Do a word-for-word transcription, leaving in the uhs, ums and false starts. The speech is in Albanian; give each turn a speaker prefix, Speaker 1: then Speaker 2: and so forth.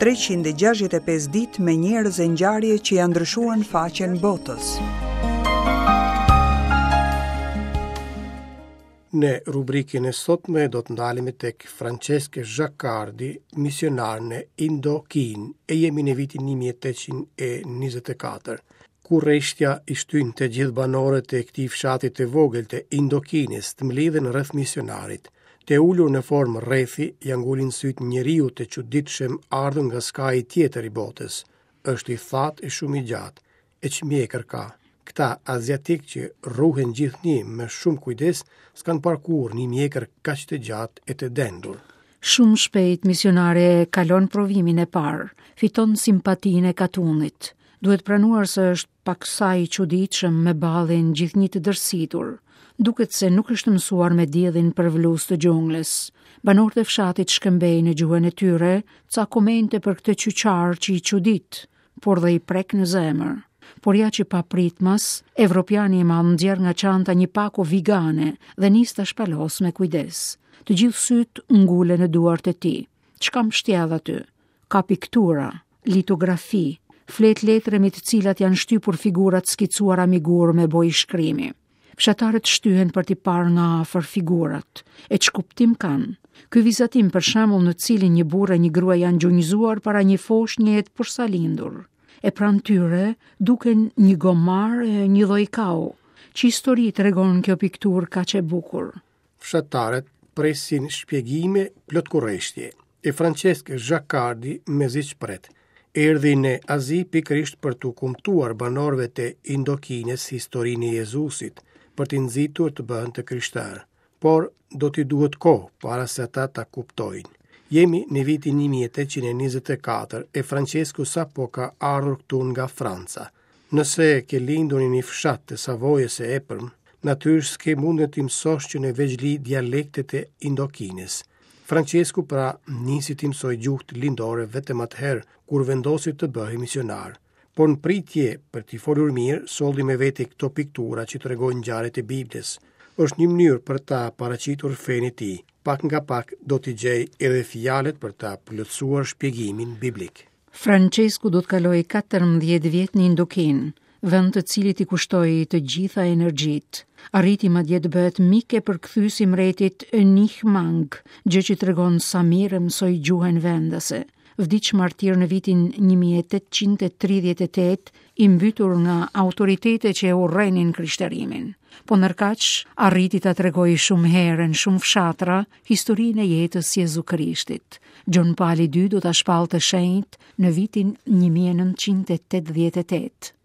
Speaker 1: treqind e gjashtëdhjetë e pesë ditë me njerëz e ngjarje që janë ndryshuar në faqen botës.
Speaker 2: Në rubrikën e sotme do të ndalemi tek Francesc Jaccardi, misionar në Indokinë, e jemi në vitin një mijë e tetëqind e njëzet e katër. Kurreshtja i shtyn të gjithë banorët e këtij fshati të vogël të Indokinës të mblidhen rreth misionarit. Të ulur në formë rrethi, ja ngulin sytë njeriu të çuditshëm ardhur nga skaji tjetër i botës. Është i thatë e shumë i gjatë, e ç'mjekër ka. Këta aziatik që rruhen gjithnjë me shumë kujdes, s'kan parë kurrë një mjekër kaq të gjatë e të dendur.
Speaker 3: Shumë shpejt misionari e kalon provimin e parë, fiton simpatinë e katunit. Duhet pranuar se është paksa i çuditshëm me ballin gjithnjë të dërsitur. Duket se nuk është mësuar me diellin përvlues të xhunglës. Banorët e fshatit shkëmbejnë në gjuhën e tyre ca komente për këtë qyqar që i çudit, por dhe i prek në zemër. Por ja që papritmas, evropiani i madh nxjerr nga çanta një pako vigane dhe nis ta shpalos me kujdes. Të gjithë syt ngulen në duart e tij. Ç'ka mbështjell aty? Ka piktura, litografi, flet letre me të cilat janë shtypur figurat skicuara me gur me bojë shkrimi. Fshatarët shtyhen për t'i parë nga afër figurat. E ç'kuptim kanë? Ky vizatim për shembull në cilin një burrë e një grua janë gjunjëzuar para një foshnje të porsalindur. E pranë tyre duken një gomar e një lloj kau. Ç'histori tregon kjo pikturë kaq e bukur?
Speaker 2: Fshatarët presin shpjegime plot kurreshtje. E Francesc Jaccardi mezi ç'pret. Erdhi në Azi pikërisht për t'u kumtuar banorëve të Indokinës historinë e Jezusit, për t'i nxitur të bëhen të krishterë. Por do t'i duhet kohë para se ata ta kuptojnë. Jemi në vitin një mijë e tetëqind e njëzet e katër e Francesku sapo ka ardhur këtu nga Franca. Nëse ke lindur në një fshat të Savojës së Epërm, natyrisht s'ke mundur t'i mësosh që në vegjëli dialektet e Indokinës. Francesku pra nisi t'i mësoj gjuhët lindore vetëm atëherë kur vendosi të bëhej misionar. Por në pritje për t'i folur mirë, solli me vete këto piktura që tregojnë ngjarjet e Biblës. Është një mënyrë për ta paraqitur fenë e tij. Pak nga pak do t'i gjej edhe fjalët për ta plotësuar shpjegimin biblik.
Speaker 3: Francesku do të kalojë katërmbëdhjetë vjet në Indokinë, vend të cilit i kushtoi të gjitha energjitë. Arriti madje të bëhet mik e përkthyes i mbretit Nih Mang, gjë që tregon sa mirë mësoi gjuhën vendase. Vdiq martir në vitin një mijë e tetëqind e tridhjetë e tetë, i mbytur nga autoritete që e urrenin krishterimin. Po ndërkaq, arriti ta tregojë shumë herë në shumë fshatra historinë e jetës Jezu Krishtit. Gjon Pali i dytë do ta shpallte shenjt në vitin një mijë e nëntëqind e tetëdhjetë e tetë.